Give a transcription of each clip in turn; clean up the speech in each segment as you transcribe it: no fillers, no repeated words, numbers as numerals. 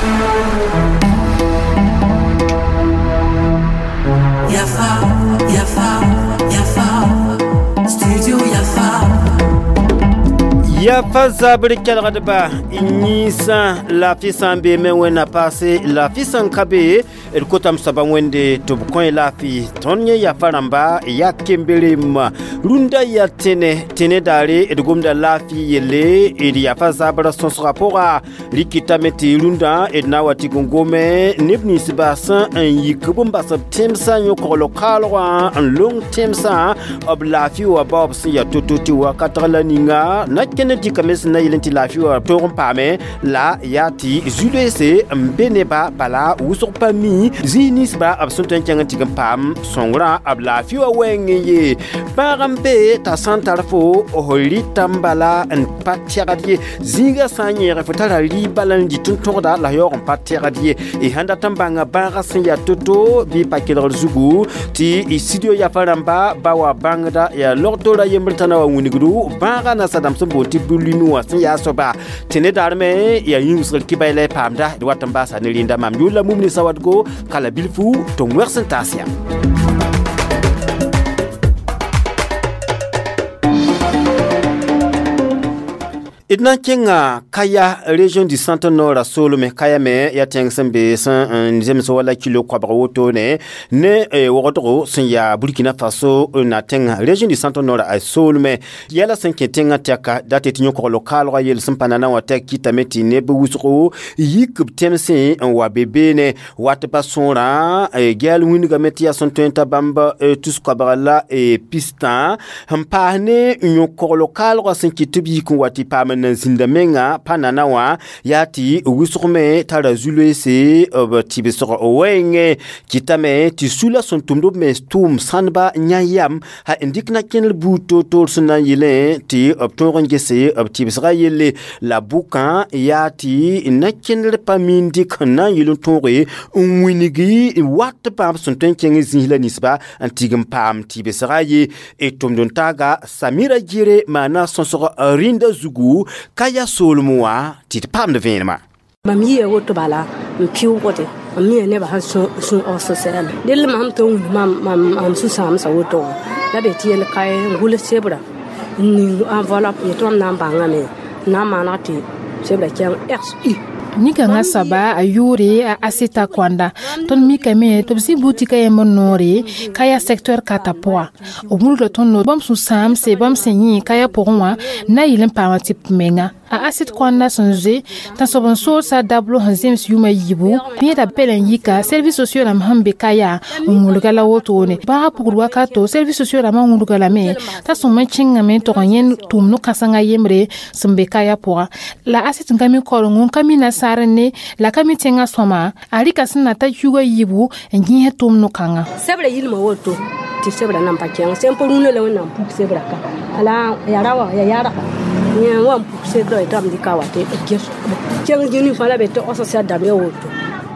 Yafa, Yafa, Yafa, Studio Yafa. Yafa zabr kelgdba yĩnsã laafɩ sã n beeme wẽnna paase laafɩ sẽn ka be d kotame soaba wẽnde tɩ b kõ laafɩ. Tõnd yẽ yafa rãmba yaa kemberem rũndã yaa tẽne tẽne daare d gomda laafɩ yelle d yafa zabrã sõsgã pʋga rɩkɩtame tɩ rũndã d na n wa tɩg n gome neb ninsba sẽn n yik b n bas b tẽmsã yõ-kogl kaalgã n long tẽmsã b laafɩ wã baoob sẽn yaa to-to tɩ wakatg la ninga na kẽnd dɩkame sẽn na yel n tɩ laafɩ wã toog n paame la yaa tɩ zu-loeese n be neba bala wʋsg pa mi zĩig ninsba b sẽn tõe n kẽng n tɩg n paam sõngrã b laafɩ wã wɛɛng n ye bãag n be t'a sã n tar fo f rɩta n bala n pa tɛgd ye zĩigã sã n yẽeg fo tara rɩ bala n dɩt n tõgda la yaoog n pa tɛgd ye y sãn dat n bãnga bãagã sẽn yaa to-to bɩ pa kelgr zugu tɩ y studio yafa rãmba ba wa bãngda yaa log-toora yembr t'a na wa wilgdu bãagã nasadãmb sẽn boond tɩ bulimi wã sẽn yaa soaba tɩ ne daar me yaa yĩngsgr kɩ la y paamda d wat n baasa ne rẽnda mam yʋʋr la mumni sawadgo kala bilfu tɩ wẽgs n taas yã. D na n kẽnga Kaya région du centre nord a soolme Kaya me yaa tẽng sẽn be sẽn n zems wala kilo koabg wotone ne wogdgo sẽn yaa Burkina Faso na tẽnga région du centre nord a soolme yɛla sẽn kẽ tẽngã tɛka dat tɩ yõ-kogl kaalgã yel sẽn pa nana wã tɛk kɩtame tɩ neb wʋsgo yik b tẽmsẽ n wa be beene wat pa sõorã gɛɛl wĩndgame tɩ yaa sẽn tõe n t'a bãmb tus koabg la pistã n paas ne yõ-kogl kaalgã sẽn kɩt tɩ b yik n wa tɩ paam n zĩnda menga pa nana wã yaa tɩ wʋsg me tara zu-loeese b tɩbsg wɛɛngẽ kɩtame tɩ sula sẽn tʋmd b mens tʋʋm sãndba yã yam ha n dɩk na kẽner buud toor-toor sẽn na n yelẽ tɩ b tõog n gese b tɩbsgã yelle la bʋkã yaa tɩ na kẽner pa miin dɩk n na n yel n tõoge n wilgi wat bãmb sẽn tõe n kẽng zĩis la ninsba n tig n paam tɩbsgã ye d tʋmd n taaga Samira Gire maana sõsg rĩndã zugu Kaya soolem wã tɩ d paamd vẽenemã. Mam yia woto bala n pɩʋʋgde n mia nebã sẽn sũ-osẽsɛrã dell mam tɩ n wilg mam sũ-sãamsã woto wã la be tɩ yel kae n gʋls sebra n ning enveloppe yetɩ mam na n bãngame n na n maaneg tɩ sebra kẽng xu Nin-kãngã soaba a yʋʋre a Aseta Kõanda. Tõnd mikame tɩ b zĩ butika yembr noore Kaya secteur kata pʋga. B wilga tõnd no bãmb sũ-sãamse bãmb sẽn yẽ Kaya pʋgẽ wã na n yɩl n paama tɩp menga. A Aset Kõanda sẽn zoe tãnsoab n soolsa dablo sẽn zems yʋʋm a yiibu yẽeda pɛl n yika service sociaux rãmb sẽn be Kaya n wilga la wotone. Bãagã pugd wakato service sociaux rãmbã wilga lame t'a sõm n kẽngame n tog n yẽnd tʋʋm no-kãsengã yembre sẽn be Kaya pʋga. La Aset n ka mi koreng n ka mi nasaar ne la ka mi tẽngã sõma a rɩka sẽn na ta yug a yiibu n gẽes tʋʋm no-kãngã. Sebra yilma woto tɩ sebra nan pa kẽng sẽn pa rũnã la Wẽnnaam puk sebra ka ala ya ra wa ya yarga yẽ wa n puk sebra tɩ b dɩka wa tɩ ges kẽng zĩni fãa la be tɩ osẽsɛr dãmb ya woto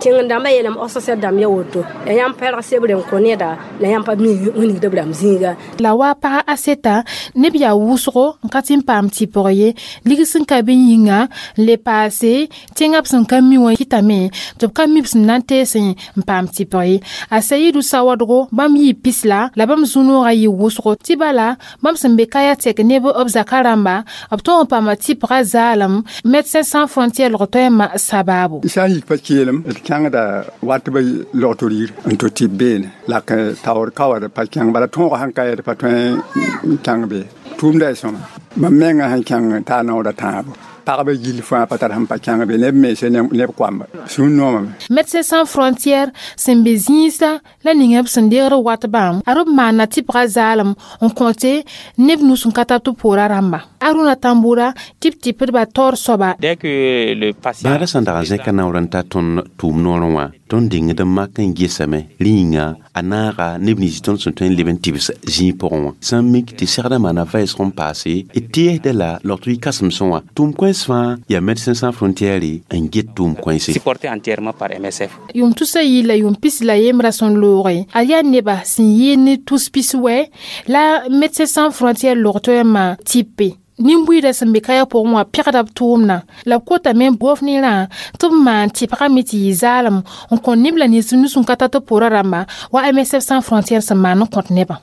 tẽng dãmbã yeelame osẽsɛr dãmb ya woto ya yãmb pɛlg sebre n kõ neda la yãmb pa mi wilgd b rãmb zĩiga. La wa pag Aseta neb yaa wʋsgo n ka tɩ n paam tɩpg ye lig sẽn ka bɩ yĩnga n le paase tẽngã b sẽn ka mi wã kɩtame tɩ b ka mi b sẽn na n teesẽ n paam tɩpg ye. A Sayidu Sawadgo bãmb yɩɩ pis la bãmb zũ-noogã yɩ wʋsgo tɩ bala bãmb sẽn be Kaya tɛk neb b zaka rãmba b tõog n paama tɩpgã zaalem Médecins Sans Frontières lg toɛɛmã sabaabo. Sã n yik pa keelem d kẽngda wat b logto rir n tɩ tɩ beene la taoor ka wa d pa kẽng bala tõogã sẽn ka d pa tõe n kẽng be tʋʋmda y sõma mam menga sẽn kẽng t'a naooda tãabo pagba gill fãa pa tar sẽn pa kẽng be neb mense neb koamba sũ-noomame. Médecins Sans Frontières sẽn be zĩisã la ninga b sẽn deegd wat bãmb a b maana tɩpgã zaalem n kõte neb nus n ka tab tɩ poorã rãmba. Aruna Tambura tɩ b tɩpdba taoor soaba. Bãadã sẽn dag n zẽka naoor n ta tõnd tʋʋm noorẽ wã tõnd dɩngd n mak n gesame rẽ yĩnga a naaga neb nins tõnd sẽn tõe n leb n tɩbs zĩig pʋgẽ wã sẽn mik tɩ segdã maana vɛɛsg n paase d tɩɛsda la logt kãsemsẽ wã tʋʋm kõens fãa yaa Médecins Sans Frontières n get tʋʋm kõense. Supporté entièrement par MSF. Yʋʋm tusa yi la yʋʋm pis la yembrã sẽn looge a yaa neba sẽn yɩɩd ne tus pis wɛ la Médecins Sans Frontières log toɛɛmã tɩpe. Nin-buiidã sẽn be kaya pʋgẽ wã pegda b tʋʋmdã la b kotame gofnerã tɩ b maan tɩpgame tɩ yɩ zaalem n kõ neb la nins nus n ka tar tɩ pʋʋra rãmba wa MSF Sans Frontières sẽn maan n kõt nebã.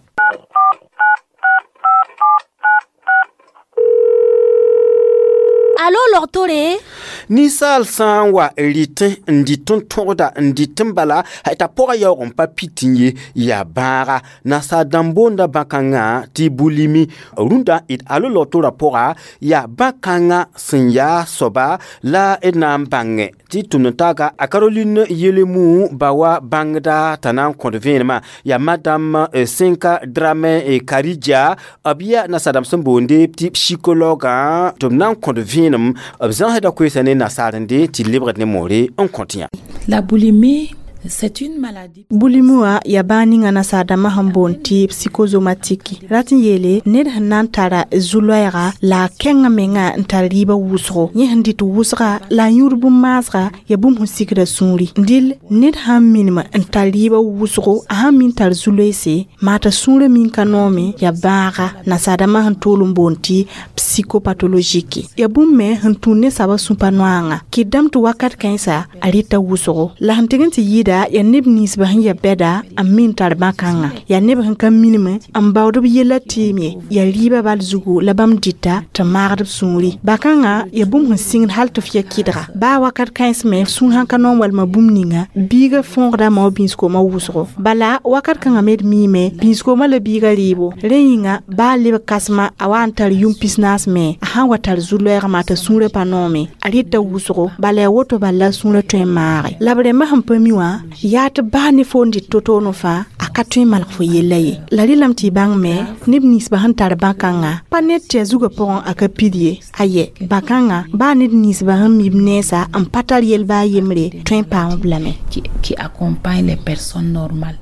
Alo logtore? Ninsaal sã n wa rɩtẽ n dɩt n tõgda n dɩt n bala t'a pʋgã yaoog n pa pit n ye yaa bãaga nasaar dãmb boonda bãn-kãngã tɩ bulimi rũndã d alo logtorã pʋga yaa bãn-kãngã sẽn yaa soaba la d na n bãngẽ tɩ tʋm-n-taaga a Caroline Yelemu ba wa bãngda t'a na n kõt vẽenemã yaa madame Senka Dramé Karidja b yaa nasaar dãmb sẽn boonde tɩ psychologue tɩ b na n kõt vẽenem b zãsda koeesa ne nasaarende tɩ lebgd ne moore n kõt yã. La boulimie, c'est une maladie. Bulimi wã yaa bãag ninga nasaar-dãmbã sẽn boond tɩ psychosomatique rat n yeele ned sẽn na n tara zu-loɛɛga la a kẽngã menga n tar rɩɩbã wʋsgo yẽ sẽn dɩt wʋsga la a yũud bũmb-maasga yaa bũmb sẽn sikda sũuri dɩl ned sãn minim n tar rɩɩbã wʋsgo a sãn min tar zu-loeese maa t'a sũurã min ka noome yaa bãaga nasaar-dãmbã sẽn tool n boond tɩ psychopathologique yaa bũmb me sẽn tũud ne soabã sũ-pa noaanga kɩt dãmb tɩ wakat kãensa a rɩta wʋsgo la sẽn tɩg n tɩ yɩɩda yaa neb ninsbã sẽn ya bɛda n min tar bãn-kãngã yaa neb sẽn ka minim n baood b yella tɩɩm ye yaa rɩɩbã bal zugu la bãmb dɩta tɩ maagd b sũuri bãn-kãngã yaa bũmb sẽn sĩngd hal tɩ f ya kɩdga baa wakat kãens me sũur sãn ka noom walma bũmb ninga biigã fõogda ma wa bĩns-koomã wʋsgo bala wakat kãngã me d miime bĩns-koomã la biigã rɩɩbo rẽ yĩnga baa leb kãsema a wa n tar yũm pisnaas me a sãn wa tar zu-loɛɛg maa t'a sũurã pa noome a rɩta wʋsgo bala yaa woto bala la sũurã tõe n maage la b rẽmbã sẽn pa mi wã yaa tɩ baa ne fo n dɩt to-toonẽ fãa a ka tõe n malg fo yella ye la rɩlame tɩ y bãng me neb ninsbã sẽn tar bãn-kãngã pa ned tɩ a zugã pʋgẽ a ka pid ye ayɛ bãn-kãngã baa ned ninsbã sẽn mi b nensã n pa tar yel baa yembre tõe n paam-b lame. Qui accompagne les personnes normales.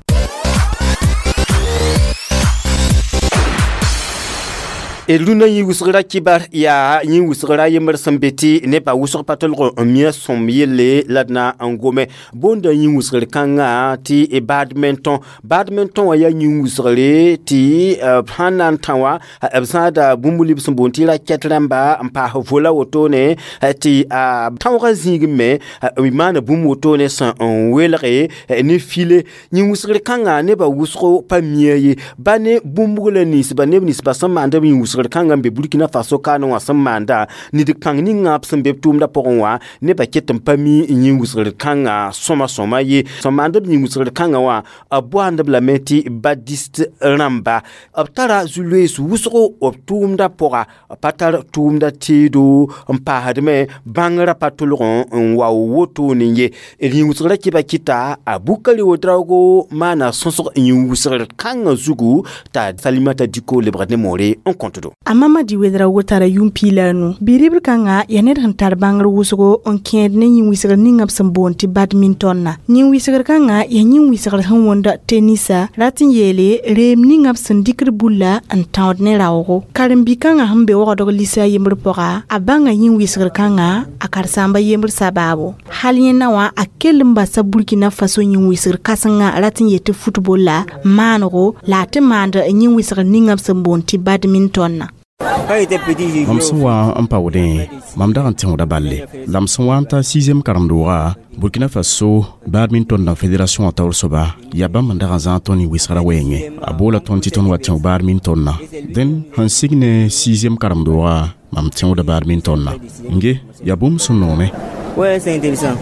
Rũndã yĩ wʋsgra kibar yaa yĩ wʋsgra yembr sẽn be tɩ nebã wʋsg pa tolg n mia sõm yelle la d na n gome boonda yĩ wʋsgr kãngã tɩ badminton badminton wã yaa yĩ wʋsgre tɩ b sãn na n tã wã b zãada bũmb lib sẽn boond tɩ raket rãmba n paas vola wotone tɩ a tãoogã zĩig me b maana bũmb wotone sẽn n welge ne file yĩ wʋsgr kãngã nebã wʋsgo pa mia ye ba ne bũmb la ninsba neb ninsba sẽn maand b yĩ wʋsgr kãngã n be Burkina Faso kaane wã sẽn maanda nid kãng ninga b sẽn be b tʋʋmdã pʋgẽ wã nebã ket n pa mi yĩ wʋsgr kãngã sõma sõma ye sẽn maand b yĩ wʋsgr kãngã wã b boand b lame tɩ badist rãmba b tara zu-loees wʋsgo b tʋʋmdã pʋga pa tar tʋʋmdã teedo n paasdme bãngrã pa tolg n wa wotone ye d yĩ wʋsgrã kɩba kɩta a Bukari Ouedraogo maana sõsg yĩ wʋsgr kãngã zugu t'a Salimata Diko lebgd ne moore n kõtdo. A Mamadi Ouedraogo tara yũm piila a nu bi-ribl kãngã yaa ned sẽn tar bãngr wʋsgo n kẽed ne yĩn-wɩsgr ninga b sẽn boond tɩ badminton na yĩn-wɩsgr kãngã yaa yĩn-wɩsgr sẽn wõnd tenisa rat n yeele reem ninga b sẽn dɩkd bulla n tãood ne raoogo karen-bi-kãngã sẽn be wagdg lisa a yembr pʋga a bãnga yĩn-wɩsgr kãngã a karen-saamba yembr sabaabo hal yẽnda wã a kell n basa Burkina Faso yĩn-wɩsgr kãsengã rat n yet tɩ football la maanego la a tɩ maand yĩn-wɩsgr ninga b sẽn boond tɩ badminton na. Mam sẽn wa n paoodẽ mam dag n tẽoda balle la m sẽn wa n ta 6e karen-dooga Burkina Faso badminton na fédération wã taoor soaba yaa bãmb n dag n zãag tõnd wɩsgrã wɛɛngẽ a boola tõnd tɩ tõnd wa tẽo badminton na dẽn sẽn sig ne 6e karen-dooga mam tẽoda badminton na nge yaa bũmb sẽn noome. Ouais, c'est intéressant.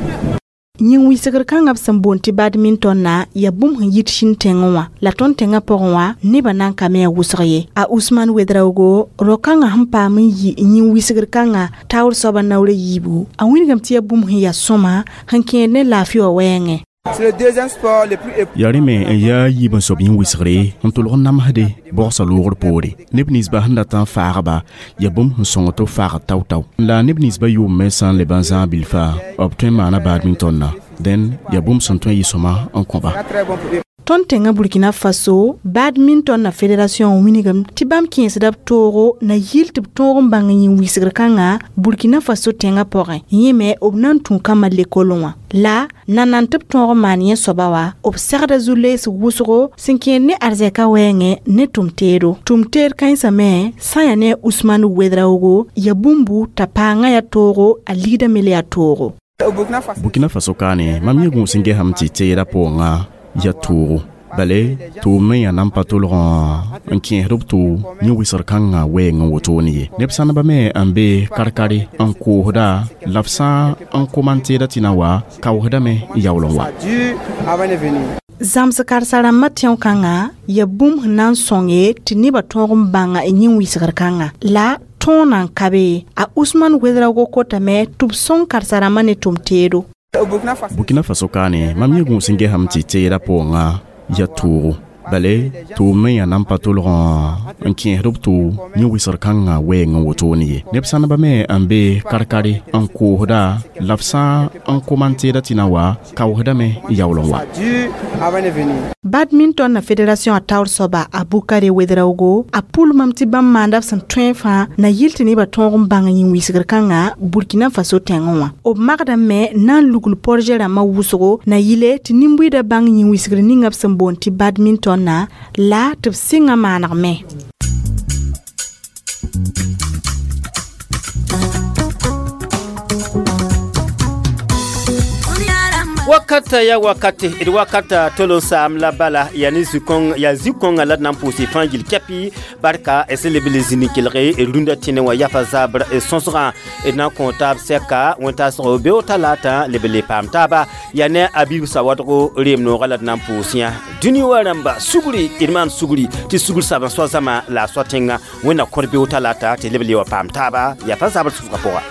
Yĩn-wɩsgr kãngã b sẽn boond tɩ badminton na yaa bũmb sẽn yit sĩn tẽngẽ wã la tõnd tẽngã pʋgẽ wã nebã na n ka me a wʋsg ye a Usman Ouedraogo rao-kãngã sẽn paam n yi yĩn-wɩsgr kãngã taoor soabã naoor a yiibu a wilgame tɩ yaa bũmb sẽn yaa sõma sẽn kẽed ne laafɩ wã wɛɛngẽ. Yaa rẽ me n yaa yiib n soab yĩn-wɩsgre n tʋlg n namsde bogsa loogr poore neb ninsbã sẽn dat n faagba yaa bũmb sẽn sõng tɩ b faagd tao-tao la neb ninsbã yʋʋm me sã n leb n zãag bilfa b tõe n maana badminton na dẽn yaa bũmb sẽn tõe n yɩ sõma n kõba. Tõnd tẽngã Burkina Faso badminton na fédération wilgem tɩ bãmb kẽesda b toogo na yɩl tɩ b tõog n bãng yĩn wisgr kãnga Burkina Faso tẽngã pʋgẽ. Yẽ me b na n tũ kambã lekol wã. La nan tɩ b tõog n maan yẽ soaba wa, b segda zu-leesg wʋsgo sẽn kẽed ne arzɛka wɛɛngẽ ne tʋm-teedo. Tʋm-teed kãensã me sã n yaa ne Usman Wedraogo ya bũmbu t'a paangã yaa toogo, a ligdã me le yaa toogo. Burkina Faso kaane, mam yẽ gũus n gesame tɩ teedã pʋgẽ yaa toogo. Bale tʋʋm me yaa nan pa tolg n kẽesd b tʋ yẽ wɩsgr kãngã wɛɛng n wotone ye. Neb sãneba me n be kar-kare n koosda la b sã n koma n teeda tɩ na wa kaoosdame n yaool n wa. Zãms karsa-rãmbã tẽo kãngã yaa bũmb sẽn na n sõnge tɩ nebã tõog n bãnga yĩn wɩsgr kãngã. La tõog nan ka be, a Usman Wedraogo kotame tɩ b sõng karsa-rãmbã ne tʋm-teedo. Burkina Faso kaane, mam yẽ gũus n gesame tɩ teedã pʋgẽ yaa toogo. Bale tʋʋm me yaa nan pa tolg n kẽesd b tʋ yẽ wɩsgr kãngã wɛɛng n wotone ye. Neb sãneba me n be kar-kare n koosda la b sã n koma n teeda tɩ na wa kaoosdame n yaool n wa. Badminton na fédération a taoor soaba a Bukare Wedraogo a pʋlmame tɩ bãmb maanda b sẽn tõe fãa na yɩl tɩ nebã tõog n bãng yĩn wisgr kãngã Burkina Faso tẽngẽ wã. B magdame me na n lugl projet rãmbã wʋsgo na yɩle tɩ nin-buiidã bãng yĩn wisgr ninga b sẽn boond tɩ badminton na la tɩ b sɩngã maaneg me. Wakata ya wakate d wakata tol n saam la bala ya ne zĩ-kõng ya zĩ-kõngã la d na n pʋʋs fãa gil kɛpɩ barka sẽn leb le zĩni kelge rũndã tẽne wã yafa zabr sõsgã d na n kõ taab sɛka wẽn-taasgo beoog talaatã leb le paam taaba ya ne a biib sawadgo reem noogã la d na n pʋʋs yã. Dũni wã rãmba sugri d maan sugri tɩ sugr sab n soa zãma la a soa tẽngã. Wẽnna kõr beoog talaata tɩ leb le wa paam taaba yafa zabr sõsgã pʋga.